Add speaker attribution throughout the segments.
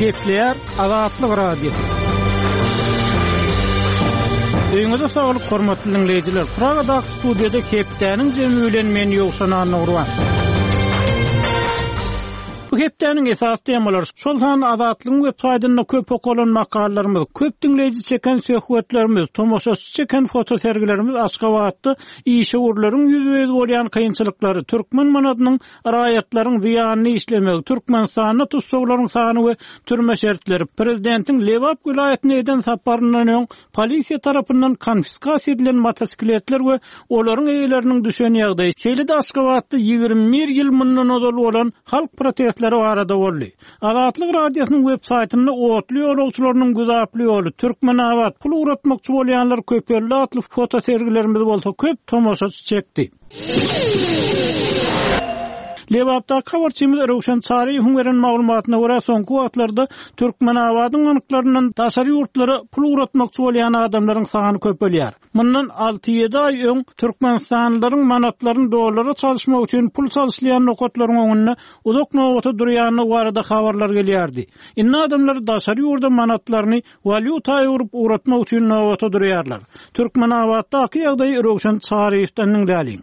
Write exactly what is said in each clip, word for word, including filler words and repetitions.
Speaker 1: Gepleýär Azatlyk Radiosy. Öýüňize saglyk hormatly dinleýjiler. Pragadaky studiýada hepdäniň jemi bilen men Ýowşan Annagurban. Bu hepdäniň esas temalary şol san Azatlygyň web saýtynda köp okalan makalalarymyz, köp dinleýji çeken söhbetlerimiz, tomaşaçy çeken fotosergilerimiz Aşgabatda işewürleriň ýüzbe-ýüz bolýan kynçylyklary, türkmen manadynyň raýatlaryň zyýanyny işlemegi, Türkmenistanda tussaglaryň sany we türme şertleri, prezidentiň Lebap welaýatyna eden saparyndan öň polisiýa tarapyndan konfiskasiýa edilen motosikletler we olaryň eýeleriniň düşen ýagdaýy, şeýle-de Aşgabatda ýigrimi bir ýyl mundan ozal bolan halk protestleri barada boldy. Azatlyk Radiosynyň web saýtynda otly ýolagçylarynyň güzaply ýoly, Türkmenabat pul ugratmakçy bolýanlar köpeldi atly fotosergilerimiz bolsa köp tomaşaçy çekdi. Lebapdaky habarçymyz Röwşen Çaryýewiň beren maglumatyna görä soňky wagtlarda Türkmenabadyň banklaryndan daşary ýurtlara pul ugratmakçy bolýan adamlaryň sany köpelýär. Mundan alty ýedi aý öň Türkmenistanlylaryň manatlaryny dollara çalyşmak üçin pul çalyşlaýan nokatlaryň öňünde uzak nobata durýandygy barada habarlar gelýärdi. Indi adamlar daşary ýurda manatlaryny walýuta öwrüp ugratmak üçin nobata durýarlar. Türkmenabatdaky ýagdaýy Röwşen Çaryýewden diňläliň.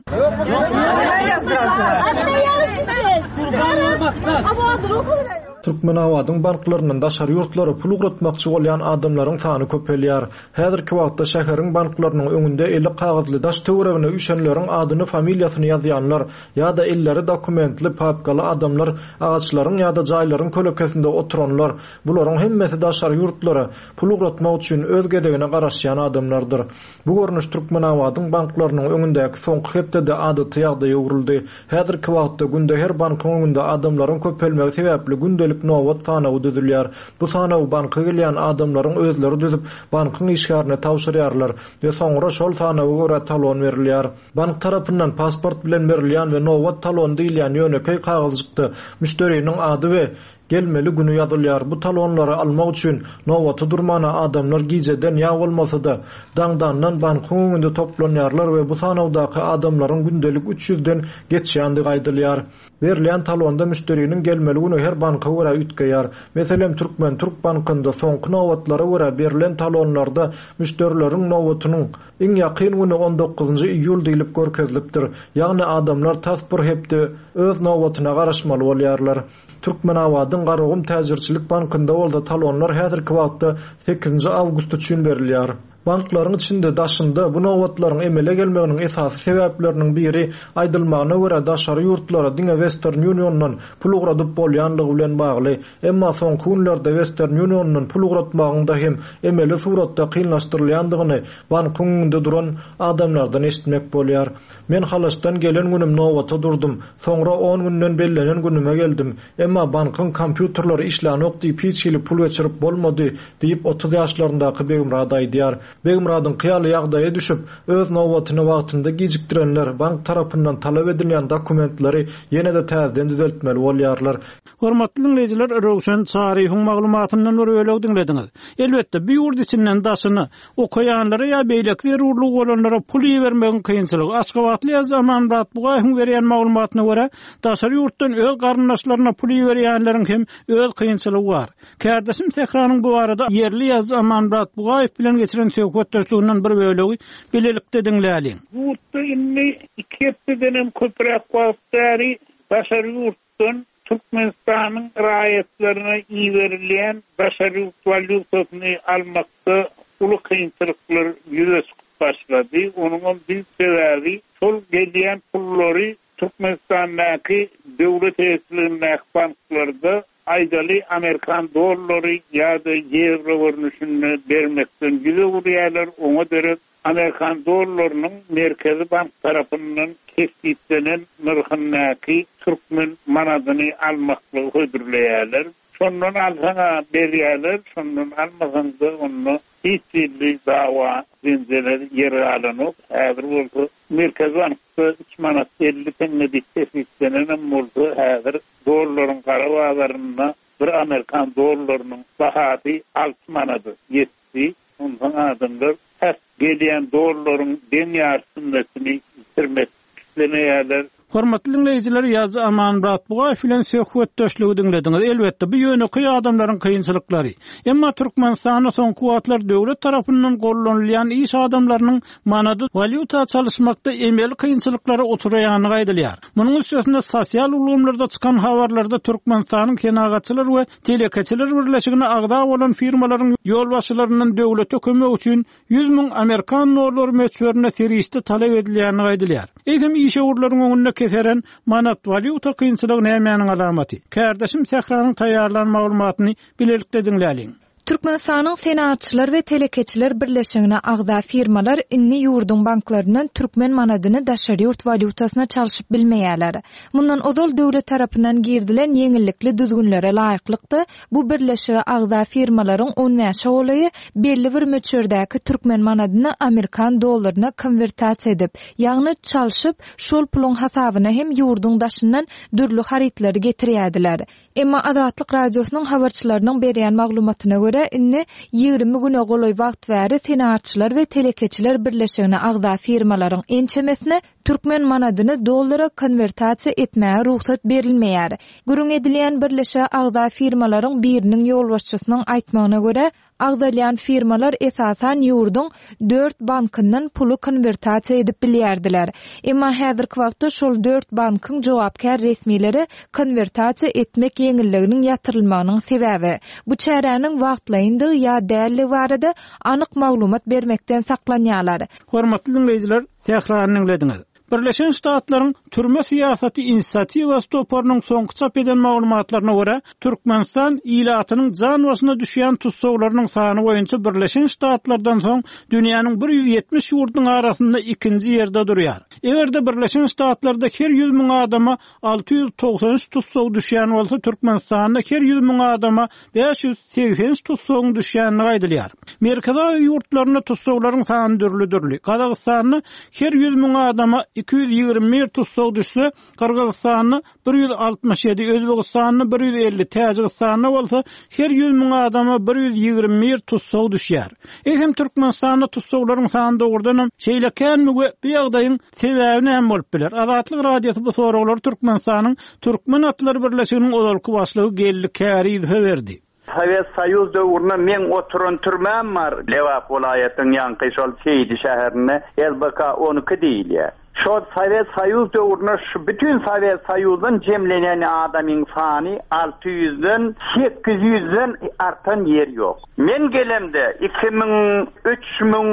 Speaker 2: Türkmenabadyň banklaryndan daşary ýurtlara pul ugratmakçy bolýan adamlaryň sany köpelýär. Häzirki wagtda şäheriň banklarynyň öňünde eli kagyzly daş töweregine üýşenleriň adyny, familiýasyny ýazýanlar ýa-da elleri dokumentli papkaly adamlar, agaçlaryň ýa-da jaýlaryň kölekesinde oturanlar, bularyň hemmesi daşary ýurtlara pul ugratmak üçin öz gezegine garaşýan adamlardyr. Bu görnüş Türkmenabadyň banklarynyň öňündäki soňky hepdede adaty ýagdaýa öwrüldi. Häzirki wagtda günde her bankyň öňünde adamlaryň köpelmegi sebäpli gündelik nobat sanawy düzülýär. Bu sanawy banka gelýän adamlaryň özleri düzüp, bankyň işgärine tabşyrýarlar we soňra şol sanawa görä talon berilýär. Bank tarapyndan pasport bilen berilýän we nobat talon diýilýän ýönekeý kagyzjykda müşderiniň ady we gelmeli günü ýazylýar. Bu talonlary almak üçin nobata durmana adamlar gijeden ýa bolmasa-da daňdandan bankyň öňünde toplanýarlar we bu sanawdaky adamlaryň gündelik üç ýüzden geçýändigi aýdylýar. Berilýän talonda müşderiniň gelmeli günü her banka görä üýtgeýär. Meselem, Türkmen Türk bankynda soňky nobatlara görä berilen talonlarda müşderileriň nobatynyň iň ýakyn günü on dokuzynjy iýul diýlip görkezilipdir. Ýagny adamlar tas bir hepde öz nobatyna garaşmaly bolýarlar. Türkmenabadyň Garagum Täjirçilik bankynda bolsa talonlar häzirki wagtda sekizinji awgust üçin berilýär. Banklaryň içinde daşynda bu nobatlaryň emele gelmeginiň esasy sebäpleriniň biri aýdylmagyna görä daşary ýurtlara diňe Western Union'dan pul ugradyp bolýanlygy bilen bagly. Emma soňky günlerde Western Union'dan pul ugratmagyň da hem emeli suratda kynlaşdyrylýandygyny bankyň öňünde duran adamlardan eşitmek bolýar. Men Halaşdan gelen günüm nobata durdum. Soňra on günden bellenen günüme geldim. Emma bankyň kompýuterleri işlänok diýip hiç hili pul geçirip bolmady diýip otuz ýaşlaryndaky Begmurad aýdýar. Begmuradyň kyýaly ýagdaýa düşüp, öz nobatyny wagtynda gijikdirenler bank tarapyndan talap edilýän dokumentleri ýene-de täzeden düzeltmeli bolýarlar.
Speaker 1: Hormatly dinleýjiler, Röwşen Çaryýewiň maglumatyndan bir bölek diňlediňiz. Elbetde, bu ýurt içinden daşyna okaýanlara ýa beýleki zerurlygy bolanlara pul ibermegiň kynçylygy. Aşgabatly ýazyjy Amanmyrat Bugaýewiň berýän maglumatyna görä, daşary ýurtdan öz garyndaşlaryna pul iberýänleriň hem öz kynçylygy bar. Kärdeşim Sähranyň bu barada ýerli ýazyjy Amanmyrat Bugaýew bilen geçiren söhbetdeşliginden bir bölegi bilelikde diňläliň.
Speaker 3: Ýurtda indi iki hepdeden hem köpräk wagt bäri daşary ýurtdan Türkmenistanyň raýatlaryna iberilýän daşary ýurt walýutasyny almakda uly kynçylyklar ýüze çykyp başlady. Onuň hem büyük sebäbi şol gelýän pullary Türkmenistandaky döwlet eýeçiligindäki banklarda aýdaly Amerikan dollary ýa-da ýewro görnüşinde bermekden ýüz öwürýärler. Oňa derek Amerikan dollarynyň Merkezi Bank tarapyndan kesgitlenen nyrhyndaky türkmen manadyny almaklygy hödürleýärler. Şondan alsaň-a berýärler, şondan almasaň da onda hiç hili dawa jenjeler ýer galanok. Häzir bolsa Merkezi Bankda üç manat elli teňňe diýip kesgitlenenem bolsa, häzir dollaryň gara bazarynda bir Amerikan dollarynyň bahasy alty manada ýetdi. Ondan adamlar tas gelýän dollaryň deň ýarysyndakyny bitirmek islemeýärler.
Speaker 1: Hormatly diňleýjiler, ýazyjy Amanmyrat Bugaýew bilen söhbetdeşligi diňlediňiz. Elbetde, bu ýönekeý adamlaryň kynçylyklary. Emma Türkmenistanda soňky wagtlar döwlet tarapyndan gollanylýan iş adamlarynyň manady walýuta çalyşmakda emeli kynçylyklara uçraýandygy aýdylýar. Munuň üstesine sosial ulgamlarda çykan habarlarda Türkmenistanyň Senagatçylar we Telekeçiler birleşigine agza bolan firmalaryň ýolbaşçylaryndan döwlete kömek üçin ýüz müň amerikan dollary möçberinde serişde talap edilýändigi aýdylýar. Eýsem işewürleriň öňünde keseren manat walýuta kynçylygy nämäniň alamaty? Kärdeşim Sähranyň taýýarlan maglumatyny bilelikde diňläliň.
Speaker 4: Türkmenistanyň Senagatçylar we Telekeçiler birleşigine agza firmalar indi ýurduň banklaryndan türkmen manadyny daşary ýurt walýutasyna çalşyp bilmeýärler. Mundan ozal döwlet tarapyndan girdilen ýeňillikli düzgünlere laýyklykda bu birleşige agza firmalaryň on bäşe golaýy belli bir möçberdäki türkmen manadyny amerikan dollaryna konwertasiýa edip, ýagny çalşyp, şol puluň hasabyna hem ýurduň daşyndan dürli harytlary getirýärdiler. Emma Azatlyk Radiosynyň habarçylarynyň berýän maglumatyna görä, indi ýigrimi güne golaý wagt bäri Senagatçylar we Telekeçiler birleşigine agza firmalaryň ençemesine türkmen manadyny dollara konwertasiýa etmäge rugsat berilmeýär. Gürrüň edilýän birleşige agza firmalaryň biriniň ýolbaşçysynyň aýtmagyna görä, agzalýan firmalar esasan ýurduň dört bankyndan puly konwertasiýa edip bilýärdiler. Emma häzirki wagtda şol dört bankyň jogapkär resmileri konwertasiýa etmek ýeňilliginiň ýatyrylmagynyň sebäbi bu çäräniň wagtlaýyndygy ýa dälligi barada anyk maglumat bermekden saklanýarlar.
Speaker 1: Hormatly diňleýjiler, Sährany diňlediňiz. Birleşen Ştatlaryň türme syýasaty inisiatiwasy toparynyň soňky çap eden maglumatlaryna görä, Türkmenistan ilatynyň jan başyna düşýän tussaglarynyň sany boýunça Birleşen Ştatlardan soň dünýäniň bir ýüz ýetmiş ýurdunyň arasynda ikinji ýerde durýar. Eger-de Birleşen Ştatlarda her ýüz müň adama alty ýüz togsan üç tussag düşýän bolsa, Türkmenistanda her ýüz müň adama bäş ýüz segsen üç tussagyň düşýändigi aýdylýar. Merkezi Aziýa ýurtlarynda tussaglaryň sany dürli-dürli. Gazagystanda her ýüz müň adama iki ýüz ýigrimi bir tussag düşse, Gyrgyzystanda bir ýüz altmyş ýedi, Özbegistanda bir ýüz elli, Täjigistanda bolsa her ýüz müň adama bir ýüz ýigrimi bir tussag düşýär. Eýsem Türkmenistanda tussaglaryň sany dogrudanam şeýle känmi we bu ýagdaýyň sebäbi näme bolup biler? Azatlyk Radiosy bu soraglary Türkmenistanyň Türkmen Atlary Birleşiginiň ozalky başlygy Geldi Kärizowa berdi.
Speaker 5: Sowet Soýuz döwründe men oturan türmem bar. Lebap welaýatynyň ýanky şol Seýdi şäherinde L B K on iki diýilýär. Şol Sowet Soýuz döwründe şu bütün Sowet Soýuzdan jemlenen adamyň sany alty ýüzden sekiz ýüzden artan ýer ýok. Men gelemde iki müň, üç müň,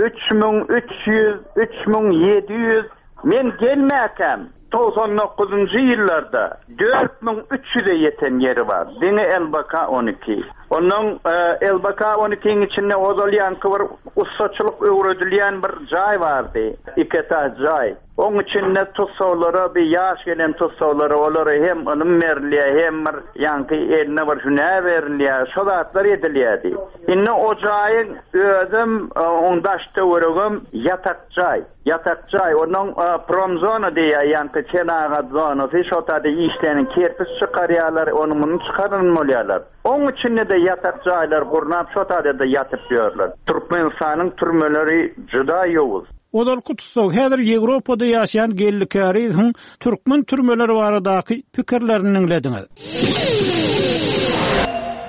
Speaker 5: üç müň üç ýüz, üç müň ýedi ýüz men gelmäkäm togsan dokuzunjy ýyllarda dört müň üç ýüze ýeten ýeri bar. Diňe L B K on iki. Ondan, e, L B K on ikiň içinde ozal ýanky bir ussaçylyk öwredilýän bir jaý bardy. Iki etaj jaý. Oň içinde tussaglara, bir ýaş gelen tussaglara olara hem ylym berilýär, hem bir ýanky eline bir hünär berilýär. Şo zatlar edilýärdi. Indi o jaýyň özüm, e, oň daş töweregim ýatak jaý. Ýatak jaý, onuň, e, promzona diýýär, ýanky senagat zonasy, şo taýda işleýän kerpiç çykarýarlar, ony muny çykaran bolýarlar. Oň içinde de ýatak jaýlar gurnap, şo taýda da ýatyp ýörler. Türkmenistanyň türmeleri juda ýowuz.
Speaker 1: Ozalky tussag häzir Ýewropada ýaşaýan Geldi Kärizowyň türkmen türmeleri baradaky pikirlerini diňlediňiz.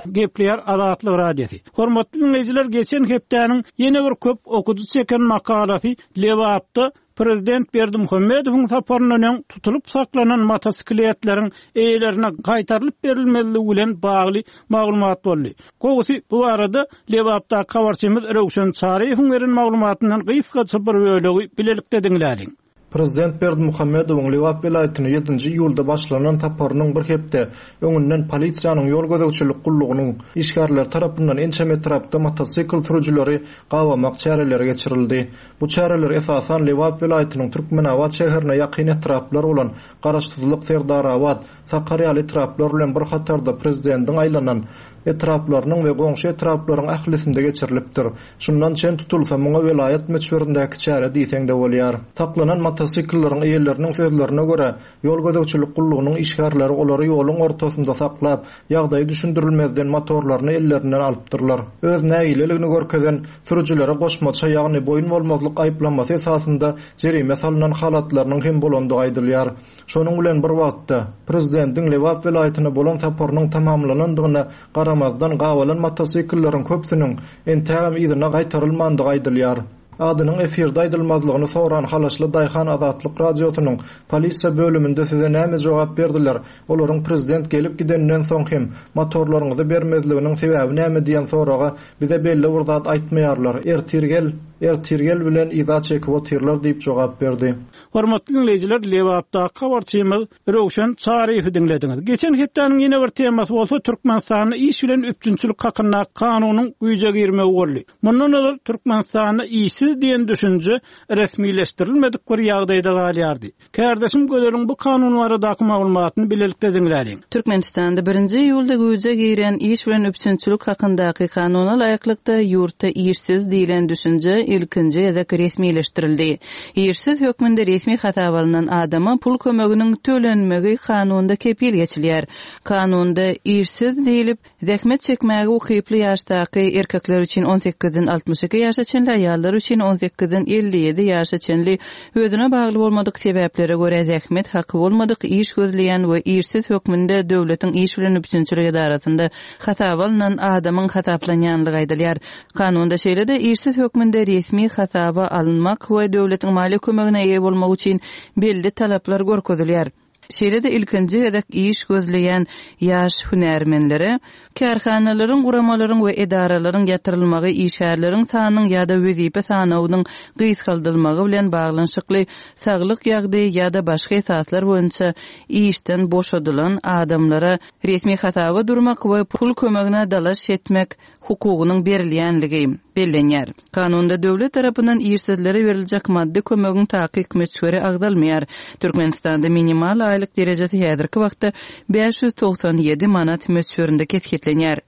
Speaker 1: Gepleýär Azatlyk Radiosy. Hormatly dinleýjiler, geçen hepdäniň ýene bir köp okujy çeken makalasy Lebapda Prezident Berdimuhamedowyň saparyndan öň tutulyp saklanan motosikletleriň eýelerine gaýtarylyp berilmezligi bilen bagly maglumat boldy. Gowusy bu barada Lebapdaky habarçymyz Röwşen Çaryýewiň beren maglumatyndan gysgaça bir bölegi bilelikde diňläliň.
Speaker 2: Prezident Berdimuhamedowyň Lebap welaýatyna ýedinji iýulda başlanan saparynyň bir hepde öňünden polisiýanyň ýol gözegçilik gullugynyň işgärleri tarapyndan ençeme etrapda motosikl sürüjileri gabamak çäreleri geçirildi. Bu çäreler esasan Lebap welaýatynyň Türkmenabat şäherine ýakyn etraplar bolan Garaşsyzlyk, Serdarabat, Sakarýaly etraplar bilen bir hatarda prezidentiň aýlanan etraplarynyň we goňşy etraplaryň ählisinde geçirilipdir. Şundan çen tutulsa muňa welaýat möçberindäki çäre diýseň-de bolýar. Saklanan motosiklleriň eýeleriniň sözlerine görä, ýol gözegçilik gullugynyň işgärleri olary ýoluň ortasynda saklap, ýagdaýy düşündirilmezden motorlaryny ellerinden alypdyrlar. Öz nägileligini görkezen sürüjilere goşmaça, ýagny boýun bolmazlyk aýyplamasy esasynda jerime salynan halatlarynyň hem bolandygy aýdylýar. Şonuň bilen bir wagtda prezidentiň Lebap welaýatyna bolan saparynyň tamamlanandygyna garamazdan gabalan motosiklleriň köpüsiniň entägem yzyna gaýtarylmandygy aýdylýar. Adynyň efirde aýdylmazlygyny soran Halaşly Daýhan Azatlyk radiosynyň polisiýa bölüminde size näme jogap berdiler? Olaryň prezident gelip gideninden soň hem motorlaryňyzy bermezliginiň sebäbi näme diýen soraga bize belli bir zat aýtmaýarlar. Ertir gel, ertir gel bilen yza çekip otyrlar diýip jogap berdi.
Speaker 1: Hormatly dinleýjiler, Lebapdaky habarçymyz Röwşen Çaryýewi diňlediňiz. Geçen hepdäniň ýene bir temasy bolsa Türkmenistanda iş bilen üpjünçilik hakynda kanunyň güýje girmegi boldy. Mundan ozal Türkmenistanda işsiz diýen düşünje resmileşdirilmedik bir ýagdaýda galýardy. Kardeşim Gözeliň bu kanun baradaky maglumatyny bilelikde diňläliň.
Speaker 6: Türkmenistanda birinji iýulda güýje giren iş bilen üpjünçilik hakyndaky kanuna laýyklykda ýurtda işsiz diýlen düşünje ilkinji gezek resmileşdirildi. Işsiz hökmünde resmi hasaba alynan adama pul kömeginiň tölenmegi kanunda kepil geçilýär. Kanunda işsiz diýilip, zähmet çekmäge ukyply ýaşdaky erkekler üçin on sekizden altmyş iki ýaşa çenli, aýallar üçin on sekizden elli ýedi ýaşa çenli özüne bagly bolmadyk sebäplere görä zähmet haky bolmadyk iş gözleýän we işsiz hökmünde döwletiň iş bilen üpjünçilik edarasynda hasaba alynan adamyň hasaplanýanlygy aýdylýar. Kanunda şeýle-de işsiz hökmünde resmi hasaba alynmak we döwletiň maliýe kömegine eýe bolmak üçin belli talaplar görkezilýär. Şeýle-de ilkinji gezek iş gözleýän ýaş hünärmenlere kärhanalaryň, guramalaryň we edaralaryň ýatyrylmagy, işgärleriň sanynyň ýa-da wezipe sanawynyň gysgaldylmagy bilen baglanyşykly saglyk ýagdaýy ýa-da başga esaslar boýunça işden boşadylan adamlara resmi hasaba durmak we pul kömegine dalaş etmek hukugynyň berilýänligi bellenýär. Kanunda döwlet tarapyndan işsizlere beriljek maddy kömegiň takyk möçberi agzalmaýar. Türkmenistanda minimal aýlyk derejesi häzirki wagtda bäş ýüz togsan ýedi manat möçberinde kesgitlenýär.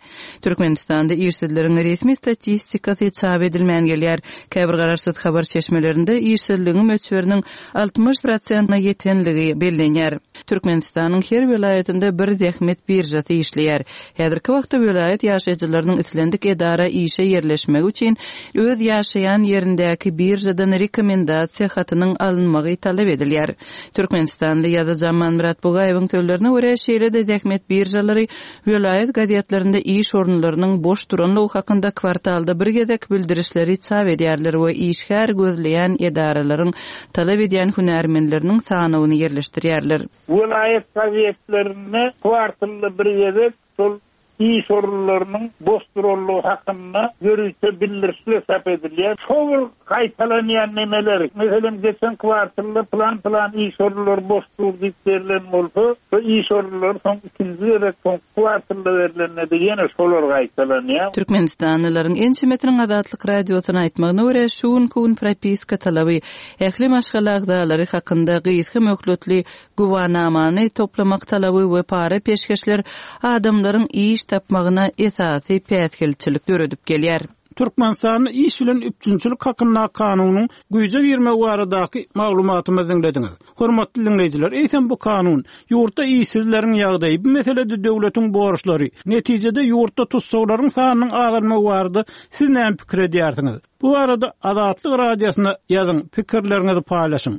Speaker 6: Türkmenistanda işsizleriň resmi statistikasy çap edilmän gelýär. Käbir garaşsyz habar çeşmelerinde işsizligiň möçberiniň altmyş prosentine ýetenligi bellenýär. Türkmenistanyň her welaýatynda bir zähmet birjasy işleýär. Häzirki wagtda welaýat ýaşaýjylarynyň islendik edara işe ýerleşmegi üçin öz ýaşaýan ýerindäki birjadan rekomendasiýa hatynyň alynmagy talap edilýär. Türkmenistanly ýazyjy Amanmyrat Bugaýewiň sözlerine görä, şeýle-de zähmet birjalary welaýat gazetlerinde iş orunlarynyň boş duranlygy hakynda kwartalda bir gezek bildirişleri çap edýärler we işgär gözleýän edaralaryň talap edýän hünärmenleriniň sanawyny ýerleşdirýärler.
Speaker 3: Welaýat gazetlerinde kwartalda bir gezek şol iş orunlarynyň boş duranlygy hakynda ýörite bildirişler çap edilýär. Şol gaýtalanýan nemeler, meselem geçen kwartalda plan-plan iş orunlary boş dur diýip berlen bolsa, şu iş orunlary soň ikinji gezek soň kwartalda berlende ýene şolar gaýtalanýar.
Speaker 6: Türkmenistanlylaryň ençemesiniň Azatlyk radiosyna aýtmagyna görä, şu günki gün propiska talaby ähli maşgala agzalary hakynda gysga möhletli güwanamany toplamak talaby we para peşgeşler adamlaryň iş tapmagyna esasy päsgelçilik döredip gelýär.
Speaker 1: Türkmenistanda iş bilen üpjünçilik hakynda kanunyň güýje girmegi baradaky maglumatymyzy diňlediňiz. Hormatly dinleýjiler, eýsem bu kanun ýurtda işsizleriň ýagdaýy, bu meselede döwletiň borçlary, netijede ýurtda tussaglaryň sanynyň azalmagy barada siz näme pikir edýärsiňiz? Bu barada Azatlyk radiosyna ýazyň, pikirleriňizi paýlaşyň.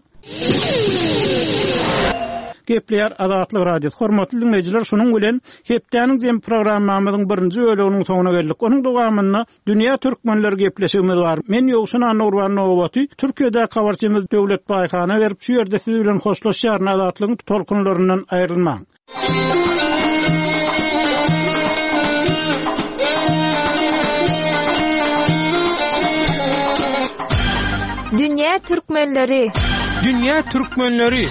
Speaker 1: Gepleýär Azatlyk Radiosy. Hormatly dinleýjiler, şunuň bilen hepdäniň jem programmamyzyň birinji bölüminiň soňuna geldik. Onuň dowamynda Dünýä Türkmenler gepleşigimiz bar. Men Ýowşan Annagurban Nowaty, Türkiýede habarçymyz Döwlet Baýhana berip şu ýerde siz bilen hoşlaşýaryn. Azatlygyň tolkunlaryndan aýrylmaň.
Speaker 4: Dünýä Türkmenleri.
Speaker 7: Dünýä Türkmenleri.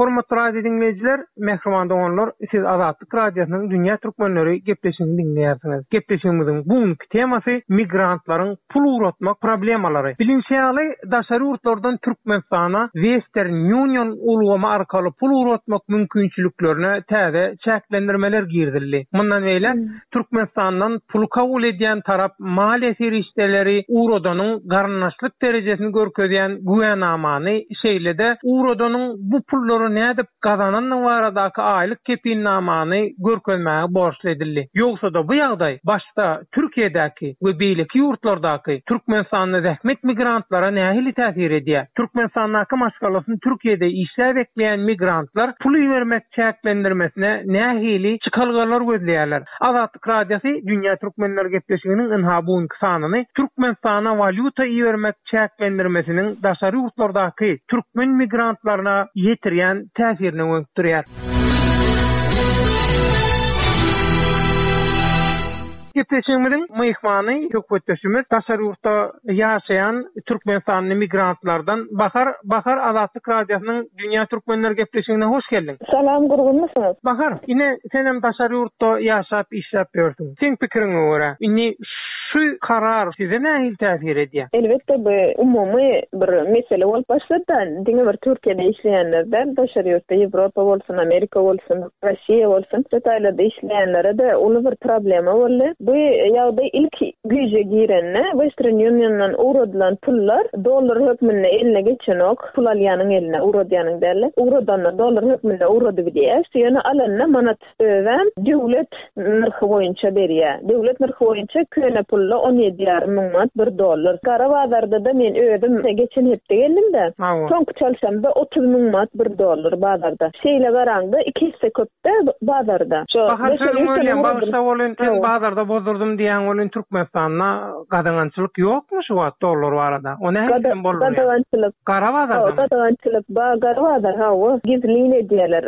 Speaker 7: Hormatly radio diňleýjiler, mähriban doganlar, siz Azatlyk radiosynyň Dünýä Türkmenleri gepleşigini diňleýärsiňiz. Gepleşigimiziň bugünki temasy migrantlaryň pul ugratmak problemalary. Bilinşi ýaly, daşary ýurtlardan Türkmenistana Western Union ulgamy arkaly pul ugratmak mümkinçiliklerine täze çäklendirmeler girizildi. Mundan beýläk Türkmenistandan pul kabul edýän tarap maliýe serişdeleri ugradanyň garyndaşlyk derejesini görkezýän güwänamany, şeýle-de ugradanyň bu pullary nädip gazanandygy baradaky aýlyk kepilnamany görkezmäge borçly edildi. Ýogsa-da bu ýagdaý başda Türkiýedäki we beýleki ýurtlardaky Türkmenistanda zähmet migrantlara nähili täsir edýär? Türkmenistandaky maşgalasyny Türkiýede işläp ekleýän migrantlar pul ibermek çäklendirmesine nähili çykalgalar gözleýärler? Azatlyk Radiosy Dünýä Türkmenleri gepleşiginiň ynha bugünki sanyny Türkmenistana walýuta ibermek çäklendirmesiniň daşary ýurtlardaky türkmen migrantlaryna ýetirýän täsirini gönükdirýär. Gepleşigimiziň myhmany söhbetdeşimiz daşary ýurtda ýaşaýan Türkmenistanly migrantlardan Bahar. Bahar, Azatlyk Radiosynyň Dünýä Türkmenleri gepleşigine hoş geldiň.
Speaker 8: Salam, gurgunmysyňyz?
Speaker 7: Bahar, ine senem daşary ýurtda ýaşap işläp ýörsüň. Seň pikiriňe görä, indi şu karar size nähili täsir edýär?
Speaker 8: Elbetde bu umumy bir mesele bolup başlady. Diňe bir Türkiýede işleýänler däl, daşary ýurtda Ýewropa bolsun, Amerika bolsun, Russiýa bolsun, Hytaýlarda işleýänlere de uly bir problema boldy. Bu ýagdaý ilk güýje girende Western Union'dan ugradylan pullar dollar hökmünde eline geçenok, pul alýanyň eline ugradýanyň däl. Ugradanda dollar hökmünde ugrady bilýär. Ýöne alanda manat özem döwlet nyrhy boýunça berýär. Döwlet nyrhy boýunça köne pulla on ýedi ýarym müň manat bir dollar. Gara bazarda da men özüm geçen hepde geldim-de. Soňky çalşamda otuz müň manat bir dollar bazarda. Şeýle garaňda iki hisse köpde bazarda. Şo
Speaker 7: Bahar
Speaker 8: daşary
Speaker 7: sözüň
Speaker 8: ýurtdan
Speaker 7: bolýan,
Speaker 8: ugradylan
Speaker 7: bagşda bolun, sen
Speaker 8: Hawa.
Speaker 7: bazarda bozdurdum diýen bolun Türkmenistanda gadagançylyk ýokmy şu wagt dollar barada? O nähili
Speaker 8: Gada-
Speaker 7: hem bolur ýa?
Speaker 8: Gadagançylyk.
Speaker 7: Gara bazarda
Speaker 8: Hawa,
Speaker 7: mı?
Speaker 8: gadagançylyk ba gara bazar hawa. Gizlin edýärler.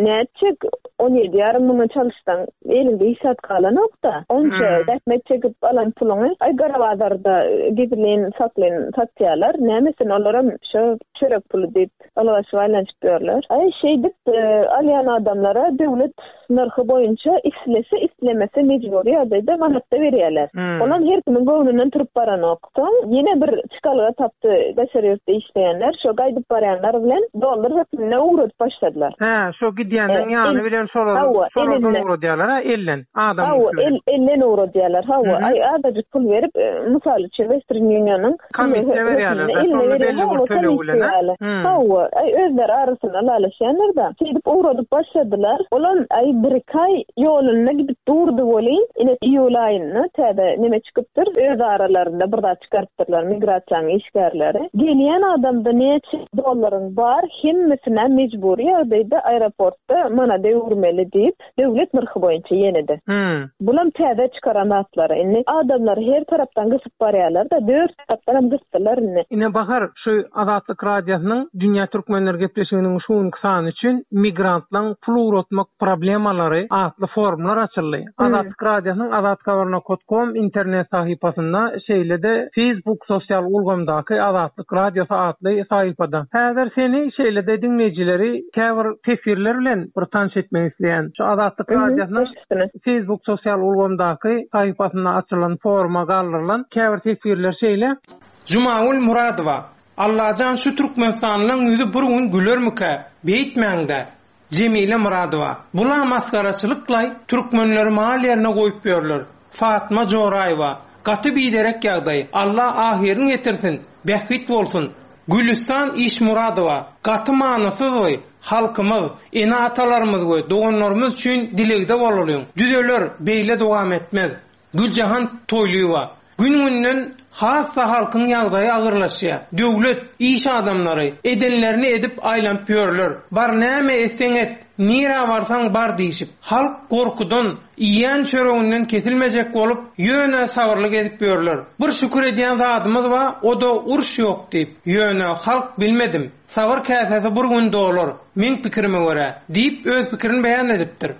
Speaker 8: Nätjek on ýedi ýarym müňe çalyşsaň, elinde hiç zat galanok-da. Onça
Speaker 7: Hmm.
Speaker 8: zähmet çekip alan puluňy ay gara bazarda gizlin saklyn satýarlar. Nämesin olaram şo çörek puly diýip alwaş aýlanyp ýörler. Ay şeýdip, e, alýan adamlara döwlet nyrhy boýunça islese islemese mejbury ýagdaýda manatda berýärler.
Speaker 7: Hmm.
Speaker 8: Olam her kimiň göwnünden turup baranok. Soň ýene bir çykalga tapdy daşary ýurtda işleýänler, şo gaýdyp barýanlar bilen dollar hökmünde ugradyp başladylar.
Speaker 7: Hä, şo gidýänleň
Speaker 8: E,
Speaker 7: ýany
Speaker 8: el-
Speaker 7: bilen şolar,
Speaker 8: Hawa,
Speaker 7: şolardan
Speaker 8: elinden.
Speaker 7: ugradýarlar, ha, elden, adam
Speaker 8: Hawa,
Speaker 7: bilen.
Speaker 8: el, elden ugradýarlar. Hawa,
Speaker 7: Hı-hı.
Speaker 8: ay azajyk pul berip, e, mysal üçin Western Union'yň
Speaker 7: Komissiýa berýärler,
Speaker 8: hökmünde eline
Speaker 7: şonda
Speaker 8: berýär.
Speaker 7: belli bir
Speaker 8: Hawa,
Speaker 7: töleg bilen, ha?
Speaker 8: komissiýa ýaly.
Speaker 7: Hı.
Speaker 8: Hawa, ay özleri arasynda lalaşýanlar da. Şeýdip ugradyp başladylar. Olam ay bir iki ay ýolunda gidip durdy bolýan. Ine iýul aýynda täze neme çykypdyr? Öz aralarynda bir zat çykarypdyrlar migrasiýanyň işgärleri. Gelýän adamda näçe dollaryň bar, hemmesine mejbury ýagdaýda aeroportda manada öwürmeli diýip, döwlet nyrhy boýunça ýene-de.
Speaker 7: Hmm.
Speaker 8: Bulam täze çykaran atlary. Indi adamlar her tarapdan gysyp barýarlar da, dört tarapdan hem gysdylar indi.
Speaker 7: Ine Bahar, şu Azatlyk Radiosynyň Dünýä Türkmenleri gepleşiginiň şu günki sany üçin migrantlaryň pul ugratmak problemalary atly forumlar açyldy.
Speaker 8: Hmm.
Speaker 7: Azatlyk Radiosynyň azathabar nokta com internet sahypasynda, şeýle-de Facebook sosial ulgamdaky Azatlyk Radiosy atly sahypada. Häzir seni şeýle-de diňleýjileri käbir teswirler bilen bir tanyş etmek isleýän. Şu Azatlyk
Speaker 8: Hı hı,
Speaker 7: Radiosynyň
Speaker 8: baş üstüne.
Speaker 7: Facebook sosial ulgamdaky sahypasynda açylan foruma galdyrylan käbir teswirler şeýle. Jumagül Muradowa, Allajan şu Türkmenistanlyň ýüzi bir gün gülermikä? Beýtmäňde. Jemile Muradowa, bula maskaraçylyklaý türkmenleri mal ýerine goýup ýörler. Fatma Joraýewa, gaty biderek ýagdaý. Allah ahyryny getirsin, bähbit bolsun. Gülistan Işmuradowa, gaty manysyz we halkymyz, ene atalarymyz we doganlarymyz üçin dilegde bolalyň. Düzeler beýle dowam etmez. Güljahan Toýlyýewa, gün-günden hassa halkyň ýagdaýy agyrlaşýar. Döwlet, iş adamlary edenlerini edip aýlanyp ýörler. Bar näme etseň et, nirä barsaň bar diýişip, halk gorkudan, iýen çöreginden kesilmejek bolup, ýöne sabyrly gezip ýörler. Bir şükür edýän zadymyz bar, o da uruş ýok diýip, ýöne halk bilmedim. Sabyr käsesi bir gün dolar, meň pikirime görä, diýip öz pikirini beýan edipdir.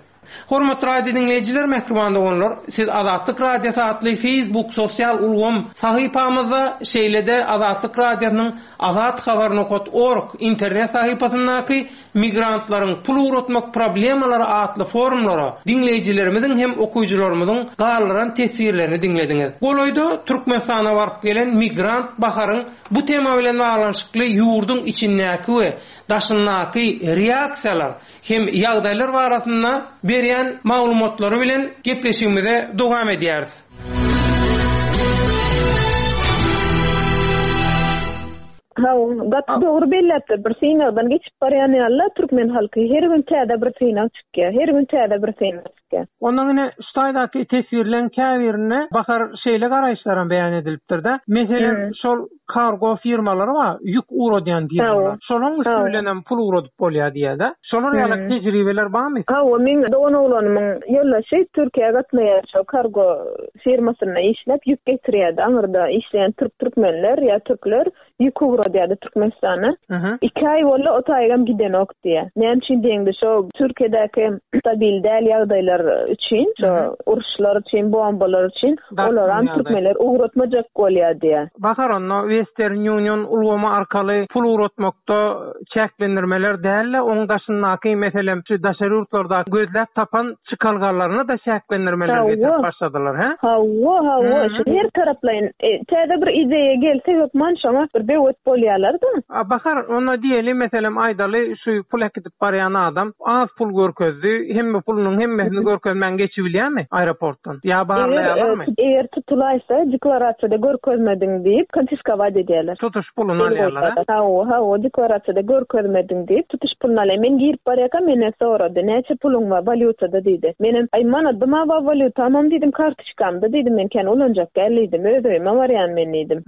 Speaker 7: Hormatly radio diňleýjiler, mähriban doganlar, siz Azatlyk Radiosy atly Facebook sosial ulgam sahypamyzda, şeýle-de Azatlyk Radiosynyň azathabar nokat org internet sahypasyndaky Migrantlaryň pul ugratmak problemalary atly forumlara diňleýjilerimiziň hem okyjylarymyzyň galdyran teswirlerini diňlediňiz. Golaýda Türkmenistana baryp gelen migrant Baharyň bu tema bilen baglanyşykly ýurduň içindäki we daşyndaky reaksiýalar hem ýagdaýlar barasynda berýän maglumatlary bilen gepleşigimize dowam edýäris.
Speaker 8: Hawa, gaty dogry belläpdir. Bir synagdan geçip barýan ýaly türkmen halky her gün täze bir synag çykýar. Her gün täze bir synag çykýar.
Speaker 7: Ondan ine şu taýdaky teswirleň käbirinde Bahar şeýle garaýyşlaram beýan edilipdir-de. Meselem, şol kargo firmalary bar, ýük ugradýan firmalar. Şolaryň üsti bilen hem pul ugradyp bolýar diýýär-de. Şolar ýaly tejribeler barmy?
Speaker 8: Hawa, meň dogan oglanymyň ýoldaşy Türkiýä gatnaýar, şo kargo firmasynda işläp ýük getirýärdi. Aňyrda işleýän türk türkmenler ýa türkler ýük ugradýardy Türkmenistana. Iki aý boldy, o taýgam gidenok diýýär. Näme üçin diýende, şo Türkiýedäki stabil däl ýagdaýlar üçin, şo uruşlar üçin, bombalar üçin olaram türkmenler ugratmajak bolýar diýýär.
Speaker 7: Bahar onda Western Union ulgamy arkaly pul ugratmakda çäklendirmeler däl-de, oň daşyndaky, meselem, şu daşary ýurtlarda gözläp tapan çykalgalaryny da çäklendirmeler getirip başladylar, hä?
Speaker 8: Hawa, hawa, şu her taraplaýyn, e, täze bir ideýa gelse hökman şoňa bir böwet bolýarlar-da.
Speaker 7: A, Bahar, onda diýeli, meselem, aýdaly, şu pul äkidip barýan adam az pul görkezdi, hemme pulunyň hemmesini görkezmän geçibilýärmi aeroportdan? Ýa barlaýarlarmy?
Speaker 8: Eger tutulaýsa, deklarasiýada görkezmediň diýip, konfiskovat edýärler.
Speaker 7: Tutuş puluny alýarlar, ha?
Speaker 8: Hawa, hawa, deklarasiýada görkezmediň diýip, tutuş puluny alýar. Men girip barýarkam, menden sorady, näçe puluň bar walýutada diýdi. Menem, aý, manadym-a bar walýutamam diýdim, kartoçkamda diýdim, men kän ulanjak gel diýdim, öz öýüme barýan men diýdim.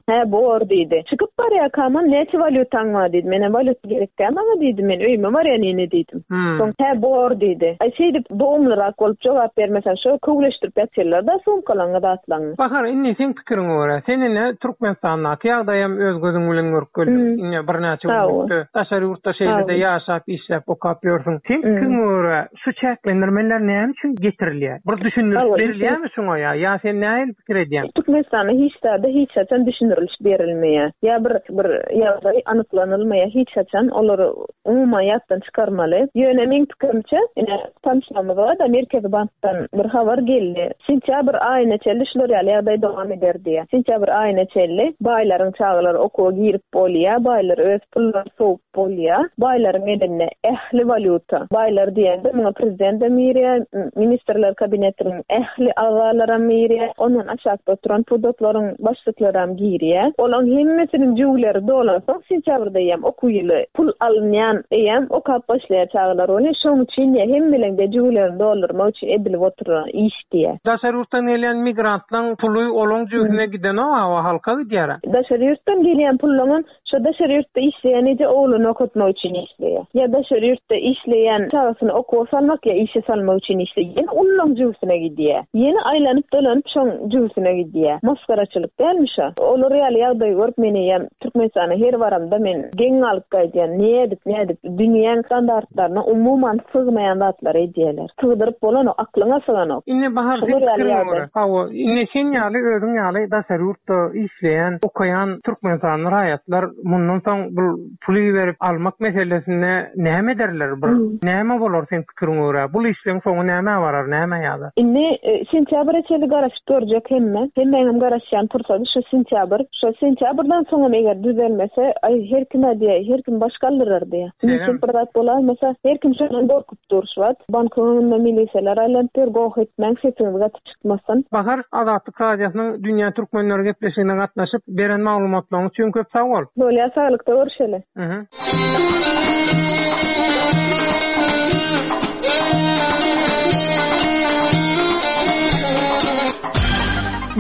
Speaker 8: Hä, bor diýdi. Çykyp barýarkamam, näçe walýutaň bar diýdi. Menem walýuta gerek däl maňa diýdim, men öýüme barýan ýene diýdim. Soň, hä, bor diýdi. Aý, şeýdip dogumlyrak bolup jogap bermesen, şo köwleşdirip ýatyrlar-da sumkalaňy zatlaňy.
Speaker 7: Bahar, indi seň pikiriňe görä, sen ine Türkmenistandaky ýagdaýam öz gözüň bilen görüp geldiň. Ine birnäçe günlükde daşary ýurtda şeýle-de ýaşap, işläp, okap ýörsüň. Seň pikiriňe görä, şu çäklendirmeler näme üçin getirilýär? Bir düşündiriş berilýärmi şoňa ýa? Ýa sen nähili pikir edýäň?
Speaker 8: Türkmenistanda hiç zada hiç haçan düşündiriliş berilmeýär. Ýa bir, bir ýagdaý anyklanylmaýar hiç haçan, olary umuman ýatdan çykarmaly. Ýöne meň pikirimçe, ine tanışmamyz bar da Merkezi bankdan bir habar geldi. Sentýabr aýyna çenli şular ýaly ýagdaý dowam eder diýär. Sentýabr aýyna çenli baýlaryň çagalary okuwa girip bolýar, baýlar öz pullaryny sowup bolýar. Baýlaryň elinde ähli walýuta. Baýlar diýende muňa prezident hem girýär, ministrler kabinetiniň ähli agzalary hem girýär, ondan aşakda oturan pudaklaryň başlyklary hem girýär. Olaryň hemmesiniň jüwleri dolansoň sentýabrda eýýäm okuw ýyly pul alynýan eýýäm okap başlaýar çagalar. Ony şoň üçin diýär, hemmeleň jüwlerini doldurmak üçin edilip oturan iş diýär.
Speaker 7: Daşary ýurtdan gelýän migrantlaryň puly olaň jüwsüne gidenok, awa halka gidýär.
Speaker 8: Daşary ýurtdan gelýän pullaryň şo daşary ýurtda işleýän eje ogluny okatmak üçin işleýär. Ýa daşary ýurtda işleýän çagasyny okuwa salmak ýa işe salmak üçin işleýär. Ýene ullaň jüwsüne gidýär. Ýene aýlanyp dolanyp şoň jüwsüne gidýär. Maskaraçylyk dälmi şo? Olar ýaly ýagdaý görüp men eýýäm Türkmenistana her baramda men geň alyp gaýdýan. Nädip, nädip dünýäň standartlaryna umuman sygmaýan zatlary edýärler. Sygdyryp bolanok, aklyňa syganok.
Speaker 7: Indi Bahar,
Speaker 8: Şolar
Speaker 7: sen
Speaker 8: ýaly
Speaker 7: pikiriňe
Speaker 8: ýagdaý.
Speaker 7: görä. Hawa, indi sen ýaly, özüň ýaly daşary ýurtda işleýän, okaýan Türkmenistanly raýatlar mundan soň bu puly berip almak meselesinde näme ederler? Bir näme bolar sen pikiriňe görä? Bu işleň soňy näme barar, näme ýa-da?
Speaker 8: Indi, e, sentýabra çenli garaşyp görjek hemme. Hemmäňem garaşýan pursady şu sentýabr. Şu sentýabrdan soňam eger düzelmese, aý her kim diýär, her kim baş galdyrar diýär.
Speaker 7: Şeýle
Speaker 8: Mümkin bir zat bolarmasa, her kim şondan gorkup dur şu wagt. Bankyň önünde miliseler aýlanyp dur, goh etmäň, sesiňiz gaty çykmasyn.
Speaker 7: Bahar, Azatlyk Radiosynyň Dünýä Türkmenleri gepleşigine gatnaşyp beren maglumatlaryň üçin köp sag bol.
Speaker 8: Bolýar, saglykda görüşeli.
Speaker 7: Mhm.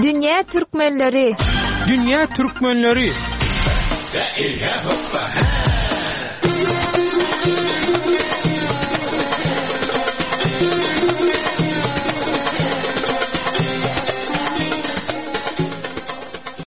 Speaker 4: Dünýä Türkmenleri.
Speaker 7: Dünýä Türkmenleri.